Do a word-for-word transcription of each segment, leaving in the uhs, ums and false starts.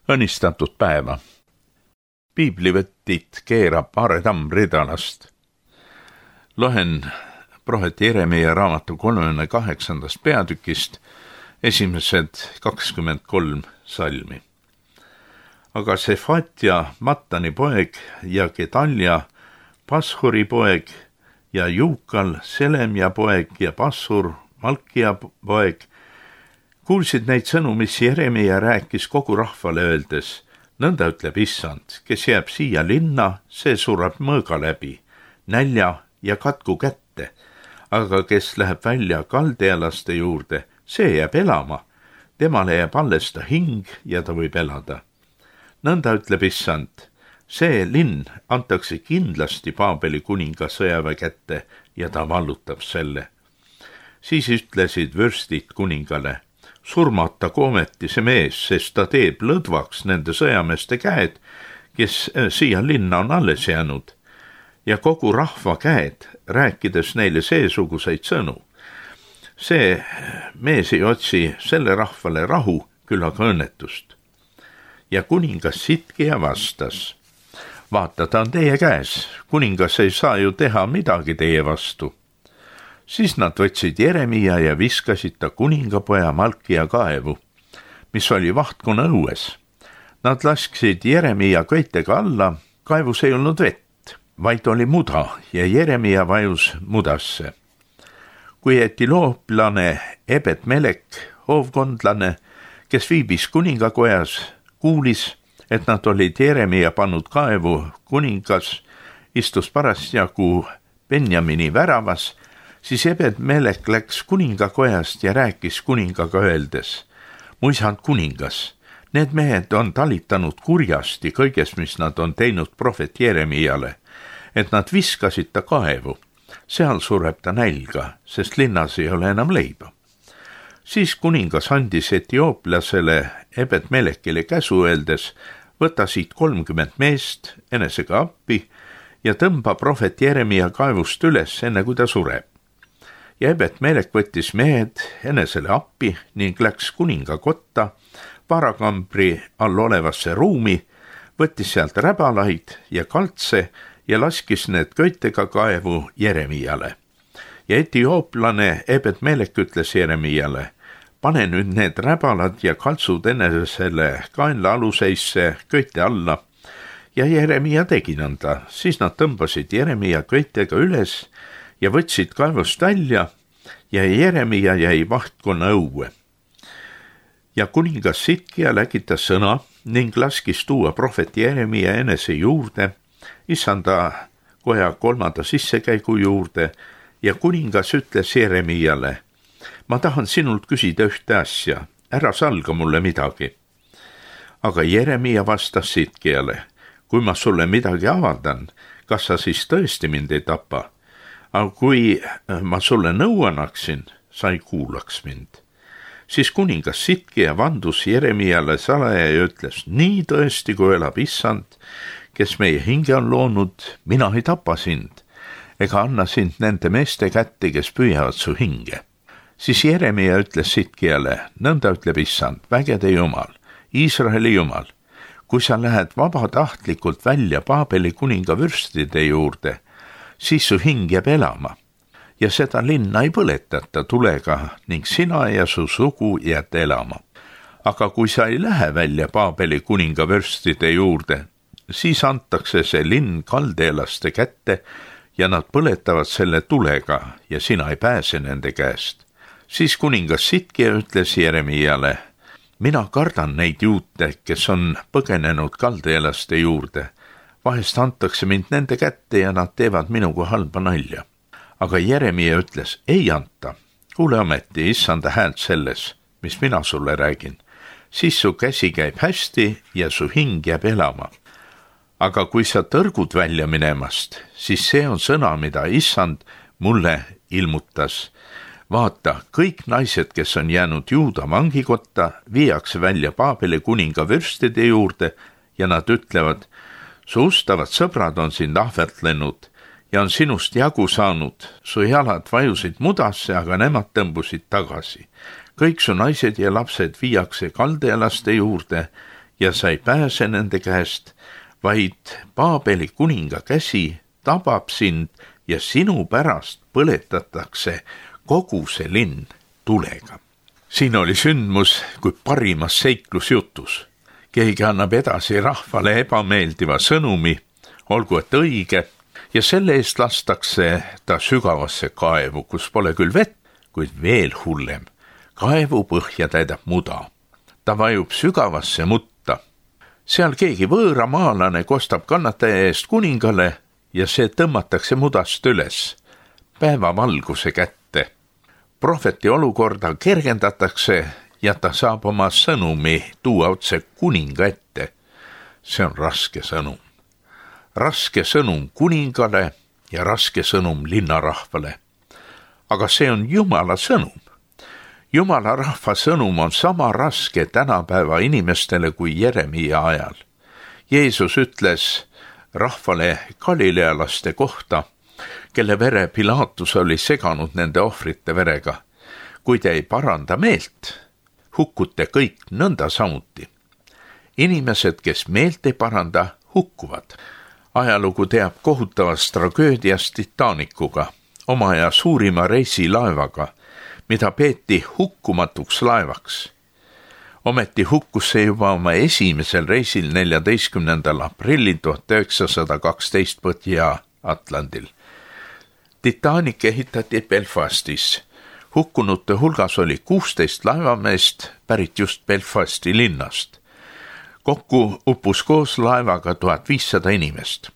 Õnnistatud päeva. Piiblivõttit keerab Aare Tamm Ridalast. Loen prohvet Jeremia raamatu kolmekümne kaheksandast peatükist esimesed kakskümmend kolm salmi. Aga Sefatja, Mattani poeg ja Gedalja, Pashuri poeg ja Juukal, Selemja poeg ja Passur, Malkia poeg, kuulsid neid sõnu, mis Jeremia rääkis kogu rahvale öeldes, nõnda ütleb Issand, kes jääb siia linna, see sureb mõõga läbi, nälja ja katku kätte, aga kes läheb välja kaldealaste juurde, see jääb elama, temale jääb alles ta hing ja ta võib elada. Nõnda ütleb Issand, see linn antakse kindlasti Paabeli kuninga sõjaväe kätte ja ta vallutab selle. Siis ütlesid vürstid kuningale, surmatagu ometi see mees, sest ta teeb lõdvaks nende sõjameeste käed, kes siia linna on alles jäänud, ja kogu rahva käed, rääkides neile seesuguseid sõnu. See mees ei otsi selle rahvale rahu, küll aga õnnetust. Ja kuningas Sidkia vastas, vaata, ta on teie käes, kuningas ei saa ju teha midagi teie vastu. Siis nad võtsid Jeremia ja viskasid ta kuningapoja Malkia kaevu, mis oli vahtkonna õues. Nad lasksid Jeremia köitega alla, kaevus ei olnud vett, vaid oli muda ja Jeremia vajus mudasse. Kui etilooplane Ebed Melek, hoovkondlane, kes viibis kuningakojas, kuulis, et nad olid Jeremia pannud kaevu, kuningas istus parasjagu Benjamini väravas, siis Ebed Melek läks kuningakojast ja rääkis kuningaga öeldes, mu isand kuningas, need mehed on talitanud kurjasti kõiges, mis nad on teinud prohvet Jeremiale, et nad viskasid ta kaevu, seal sureb ta nälga, sest linnas ei ole enam leiba. Siis kuningas andis etiooplasele Ebed Melekile käsu öeldes, võta siit kolmkümmend meest enesega appi ja tõmba prohvet Jeremia kaevust üles, enne kui ta sureb. Ja Ebed Melek võttis mehed enesele appi ning läks kuninga kotta, varakambri all olevasse ruumi, võttis sealt räbalaid ja kaltse ja laskis need köitega kaevu Jeremiale. Ja etiooplane Ebed Melek ütles Jeremiale, pane nüüd need räbalad ja kaltsud enesele kaenla aluseisse köite alla. Ja Jeremia tegi nõnda, siis nad tõmbasid Jeremia köitega üles ja võtsid kaevust välja ja Jeremia jäi vahtkonna õue. Ja kuningas Sidkia läkitas sõna ning laskis tuua prohvet Jeremia enese juurde, issanda koja kolmanda sissekäigu juurde ja kuningas ütles Jeremiale, ma tahan sinult küsida ühte asja, ära salga mulle midagi. Aga Jeremia vastas Sidkiale, kui ma sulle midagi avaldan, kas sa siis tõesti mind ei tapa? Aga kui ma sulle nõu annaksin, sa ei kuulaks mind. Siis kuningas Sidkia vandus Jeremiale salaja ja ütles, nii tõesti, kui elab Issand, kes meie hinge on loonud, mina ei tapa sind, ega anna sind nende meeste kätte, kes püüavad su hinge. Siis Jeremia ütles Sidkiale, nõnda ütleb Issand, vägede Jumal, Iisraeli Jumal, kui sa lähed vabatahtlikult välja Paabeli kuninga vürstide juurde, siis su hing jääb elama ja seda linna ei põletata tulega ning sina ja su sugu jääd elama. Aga kui sa ei lähe välja Paabeli kuninga vürstide juurde, siis antakse see linn kaldeelaste kätte ja nad põletavad selle tulega ja sina ei pääse nende käest. Siis kuningas Sidkia ütles Jeremiale, mina kardan neid juute, kes on põgenenud kaldeelaste juurde. Vahest antakse mind nende kätte ja nad teevad minuga halba nalja. Aga Jeremia ütles, ei anta, kuule ometi issanda häält selles, mis mina sulle räägin. Siis su käsi käib hästi ja su hing jääb elama. Aga kui sa tõrgud välja minemast, siis see on sõna, mida issand mulle ilmutas. Vaata, kõik naised, kes on jäänud Juuda vangikotta, viiakse välja Paabeli kuninga vürstide juurde ja nad ütlevad, su ustavad sõbrad on sind ahvertlenud ja on sinust jagu saanud. Su jalad vajusid mudasse, aga nemad tõmbusid tagasi. Kõik su naised ja lapsed viiakse kaldealaste juurde ja sa ei pääse nende käest, vaid Paabeli kuninga käsi tabab sind ja sinu pärast põletatakse kogu see linn tulega. Siin oli sündmus kui parimas seiklusjutus. Keegi annab edasi rahvale ebameeldiva sõnumi, olgu et õige, ja selle eest lastakse ta sügavasse kaevu, kus pole küll vett, kuid veel hullem. Kaevu põhja täidab muda. Ta vajub sügavasse mutta. Seal keegi võõramaalane kostab kannataja eest kuningale ja see tõmmatakse mudast üles, päevavalguse kätte. Prohveti olukorda kergendatakse ja ta saab oma sõnumi tuua otse kuninga ette. See on raske sõnum. Raske sõnum kuningale ja raske sõnum linnarahvale. Aga see on Jumala sõnum. Jumala rahva sõnum on sama raske tänapäeva inimestele kui Jeremia ajal. Jeesus ütles rahvale galilealaste kohta, kelle vere Pilatus oli seganud nende ohvrite verega. Kui te ei paranda meelt, hukkute kõik nõnda samuti. Inimesed, kes meelt ei paranda, hukkuvad. Ajalugu teab kohutavast tragöödiast Titanicuga, oma aja suurima reisilaevaga, mida peeti hukkumatuks laevaks. Ometi hukkus see juba oma esimesel reisil neljateistkümnendal aprillil tuhat üheksasada kaksteist Põhja-Atlandil. Titanic ehitati Belfastis. Hukkunute hulgas oli kuusteist laevameest pärit just Belfasti linnast. Kokku uppus koos laevaga tuhat viissada inimest.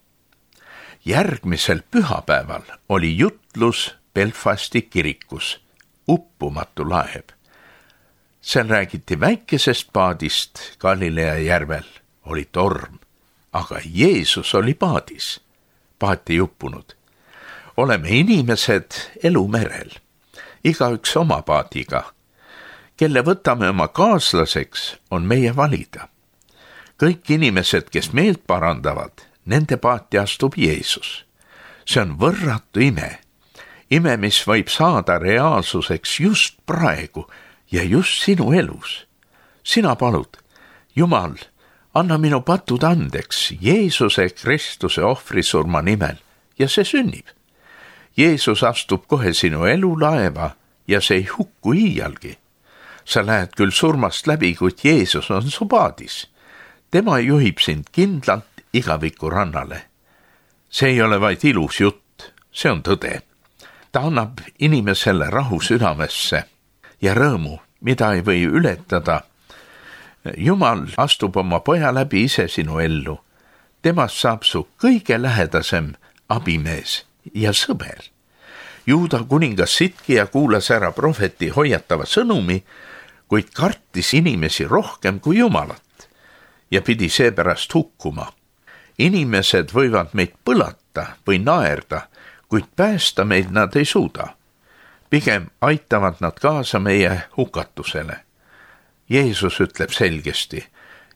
Järgmisel pühapäeval oli jutlus Belfasti kirikus, uppumatu laev. Seal räägiti väikesest paadist Galilea järvel, oli torm, aga Jeesus oli paadis, paat ei uppunud. Oleme inimesed elumerel, igaüks oma paadiga. Kelle võtame oma kaaslaseks, on meie valida. Kõik inimesed, kes meelt parandavad, nende paati astub Jeesus. See on võrratu ime. Ime, mis võib saada reaalsuseks just praegu ja just sinu elus. Sina palud, Jumal, anna minu patud andeks Jeesuse Kristuse ohvrisurma nimel ja see sünnib. Jeesus astub kohe sinu elulaeva ja see ei hukku iialgi. Sa lähed küll surmast läbi, kuid Jeesus on su paadis. Tema juhib sind kindlalt igaviku rannale. See ei ole vaid ilus jutt, see on tõde. Ta annab inimesele rahu südamesse ja rõõmu, mida ei või ületada. Jumal astub oma poja läbi ise sinu ellu. Temast saab su kõige lähedasem abimees ja sõber. Juuda kuningas Sidkia kuulas ära prohveti hoiatava sõnumi, kuid kartis inimesi rohkem kui Jumalat ja pidi seepärast hukkuma. Inimesed võivad meid põlata või naerda, kuid päästa meid nad ei suuda. Pigem aitavad nad kaasa meie hukatusele. Jeesus ütleb selgesti,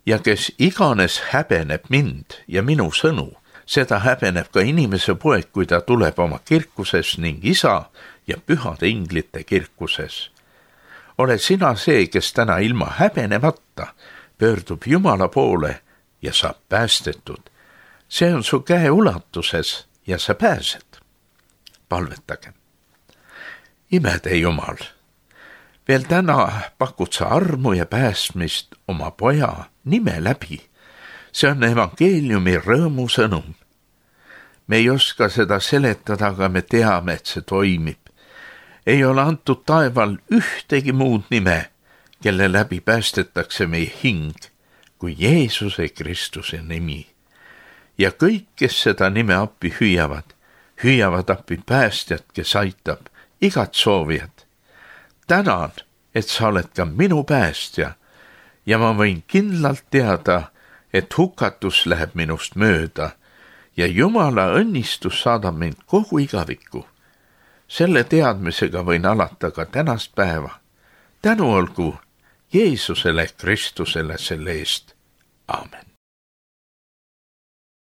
ja kes iganes häbeneb mind ja minu sõnu, seda häbeneb ka inimese poeg, kui ta tuleb oma kirkuses ning isa ja pühade inglite kirkuses. Ole sina see, kes täna ilma häbenemata pöördub Jumala poole ja saab päästetud. See on su käe ulatuses ja sa pääsed. Palvetage. Imede Jumal, veel täna pakud sa armu ja päästmist oma poja nime läbi. See on evangeeliumi rõõmu sõnum. Me ei oska seda seletada, aga me teame, et see toimib. Ei ole antud taeval ühtegi muud nime, kelle läbi päästetakse meie hing, kui Jeesuse Kristuse nimi. Ja kõik, kes seda nime appi hüüavad, hüüavad appi päästjat, kes aitab igat soovijat. Tänan, et sa oled ka minu päästja ja ma võin kindlalt teada, et hukatus läheb minust mööda ja Jumala õnnistus saadab mind kogu igavikku. Selle teadmisega võin alata ka tänast päeva. Tänu olgu Jeesusele Kristusele selle eest. Aamen.